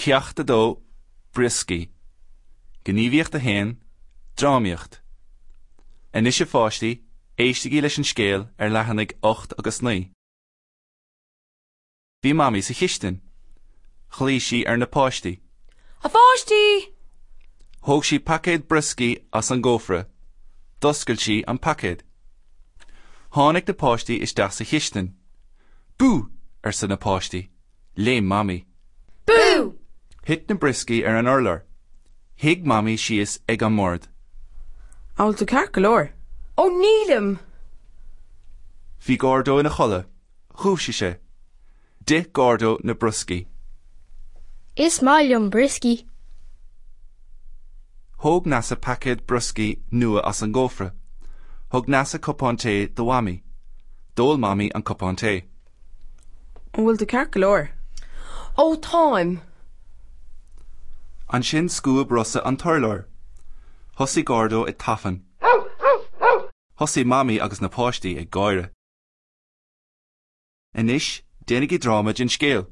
Ceacht 2, Brioscaí. Gníomhaíocht 1, Drámaíocht. Anois a pháistí, éistigí leis an scéal ar leathanaigh 8 agus 9. Bhí Mamaí sa chistin. Ghlaoigh sí ar na páistí. A pháistí! Thóg sí paicéad brioscaí as an gcófra. D'oscail sí an paicéad. Tháinig na páistí isteach sa chistin. Bú! arsa na páistí. Léim Mamaí. Bú! Thit na brioscaí ar an urlár. Shuigh Mamaí síos ag an mbord. An bhfuil tú ceart go leor? Ó nílim! Bhí Gordo ina chodladh. Dhúisigh sé. D'ith Gordo na brioscaí. Is maith liom brioscaí. Thóg Neasa paicéad brioscaí nua as an gcófra. Thug Neasa cupán tae do Mhamaí. D'ól Mamaí an cupán tae. An bhfuil tú ceart go leor? Ó táim! Ansin scuab Rosa an t-urlár. Thosaigh Gordo ag tafann. Thosaigh Mamaí agus na páistí ag gáire. Anois, déanaigí dráma den scéal.